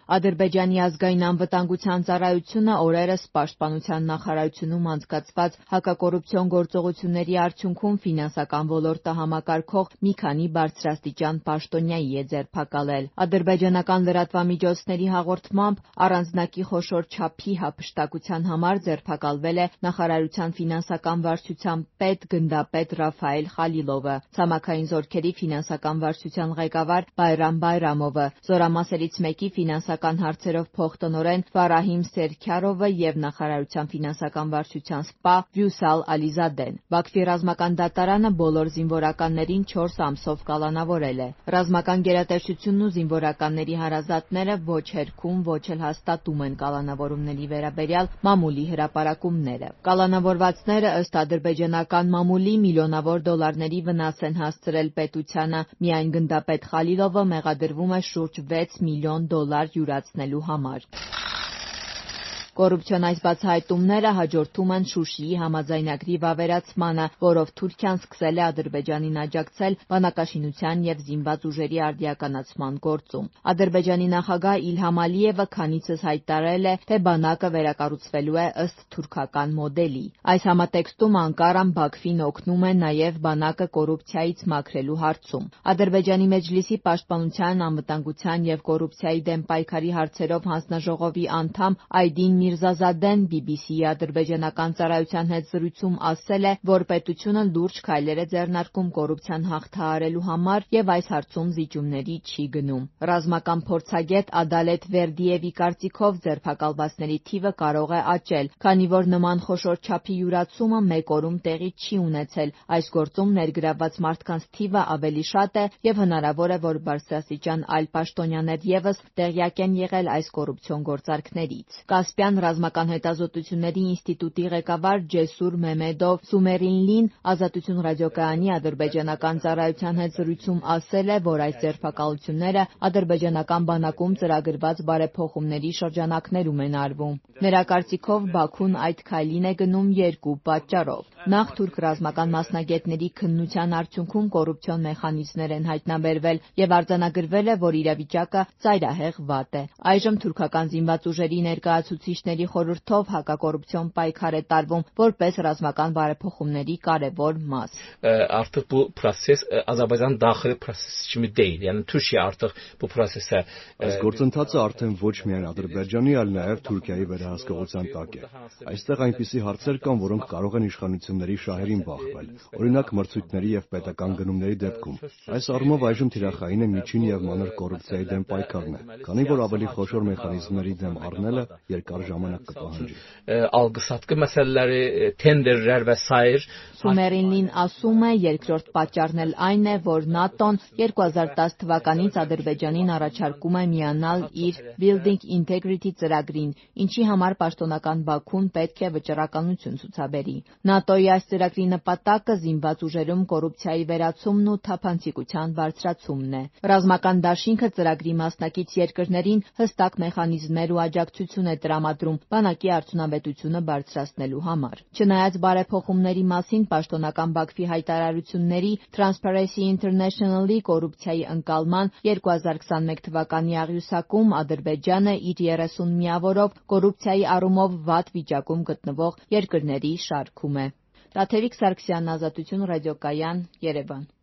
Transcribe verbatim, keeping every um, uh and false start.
Ադրբեջանի ազգային անվտանգության ծառայությունը օրերս Պաշտպանության նախարարությունում անցկացված հակակոռուպցիոն գործողությունների արդյունքում ֆինանսական ոլորտը համակարգող մի քանի բարձրաստիճան պաշտոնյայի է ձերբակալել։ Ադրբեջանական լրատվամիջոցների հաղորդմամբ առանձնակի խոշոր չափի հափշտակության համար ձերբակալվել է նախարարության ֆինանսական վարչության պետ գնդապետ Ռաֆայել Խալիլովը, ցամաքային զորքերի ֆինանսական վարչության ղեկավար Բայրամ Բայրամովը, զորամասերից մեկի ֆինանսական հարցերով փոխտնօրեն Ֆարահիմ Սերքարովը և նախարարության ֆինանսական վարչության սպա Վյուսալ Ալիզադեն։ Բաքվի ռազմական դատարանը բոլոր զինվորականներին չորս ամսով կալանավորել է։ Ռազմական գերատեսչությունն ու զինվորականների հարազատները ոչ հերքում, ոչ էլ հաստատում են կալանավորումների վերաբերյալ մամուլի հրապարակումները։ Կալանավորվածները ըստ ադրբեջանական մամուլի միլիոնավոր դոլարների վնաս են հասցրել պետությանը։ Միայն գնդապետ Խալիլովը մեղադրվում է շուրջ վեց միլիոն դոլար յուրացնելու համար։ Կոռուպցիոն այս բացահայտումները հաջորդում են Շուշիի համաձայնագրի վավերացմանը, որով Թուրքիան սկսել է Ադրբեջանին աջակցել բանակաշինության և զինված ուժերի արդիականացման գործում։ Ադրբեջանի նախագահ Իլհամ Ալիևը քանիցս հայտարարել է, թե բանակը վերակառուցվելու է ըստ թուրքական մոդելի։ Այս համատեքստում Անկարան Բաքվին օգնում է նաև բանակը կոռուպցիայից մաքրելու հարցում։ Ադրբեջանի Մեջլիսի պաշտպանության, անվտանգության և կոռուպցիայի դեմ պայքարի հարցերով հանձնաժողովի անդամ Այդին Միրզազադեն բի բի սի-ի ադրբեջանական ծառայության հետ զրույցում ասել է, որ պետությունը լուրջ քայլեր է ձեռնարկում կոռուպցիան հաղթահարելու համար և այս հարցում զիջումների չի գնում։ Ռազմական փորձագետ Ադալեթ Վերդիևի կարծիքով ձերբակալվածների թիվը կարող է աճել, քանի որ նման խոշոր չափի յուրացումը մեկ օրում տեղի չի ունեցել։ Այս գործում ներգրավված մարդկանց թիվը ավելի շատ է և հնարավոր է, որ բարձրաստիճան այլ պաշտոնյաներ ևս տեղյակ են եղել այս կոռուպցիոն գործարքներից։ Կասպյան ռազմական հետազոտությունների ինստիտուտի ղեկավար Ջեսուր Մեմեդով Սումերինլին Ազատություն ռադիոկայանի ադրբեջանական ծառայության հետ զրույցում ասել է, որ այս ձերբակալությունները ադրբեջանական բանակում ծրագրված բարեփոխումների շրջանակներում են արվում։ Նրա կարծիքով Բաքուն այդ քայլին է գնում երկու պատճառով։ Նախ թուրք ռազմական մասնագետների քննության արդյունքում կոռուպցիոն մեխանիզմներ են հայտնաբերվել և արձանագրվել է, որ իրավիճակը ծայրահեղ վատ է։ Այժմ թուրքական զինված ուժերի ներկայացուցիչների խորհրդով հակակոռուպցիոն պայքար է տարվում որպես ռազմական բարեփոխումների կարևոր մաս։ Artıq bu proses Azərbaycan daxili prosesi kimi deyil. Yəni Türkiyə artıq bu prosesə Այս գործընթացը արդեն ոչ միայն Ադրբեջանի, այլ նաև Թուրքիայի վերահսկողության տակ է։ Այստեղ այնպիսի հարցեր կան, որոնք կարող են իշխանությունների շահերին բախվել, օրինակ մրցույթների և պետական գնումների դեպքում։ Այս առումով այժմ թիրախային է միջին և մանր կոռուպցիայի դեմ պայքարն է, քանի որ ավելի խոշոր մեխանիզմների դեմ առնելը երկար ժամանակ կպահանջի։ Algı-satqı məsələləri, tenderlər və sair Սումերինլին ասում է, երկրորդ պատճառն էլ այն է, որ ՆԱՏՕ-ն երկու հազար տաս թվականից Ադրբեջանին առաջարկում է միանալ իր Building Integrity ծրագրին, ինչի համար պաշտոնական Բաքուն պետք է վճռականություն ցուցաբերի։ ՆԱՏՕ-ի այս ծրագրի նպատակը զինված ուժերում կոռուպցիայի վերացումն ու թափանցիկության բարձրացումն է։ Ռազմական դաշինքը ծրագրի մասնակից երկրներին հստակ մեխանիզմներ ու աջակցություն է տրամադրում բանակի արդյունավետությունը բարձրացնելու համար։ Չնայած բարեփոխումների մասին պաշտոնական Բաքվի հայտարարությունների, Transparency International-ի կոռուպցիայի ընկալման երկու հազար քսանմեկ թվականի աղյուսակում Ադրբեջանը իր երեսուն միավորով կոռուպցիայի առումով վատ վիճակում գտնվող երկրների շարքում է։ Տաթևիկ Սարգսյան, Ազատություն ռադիոկայան, Երևան։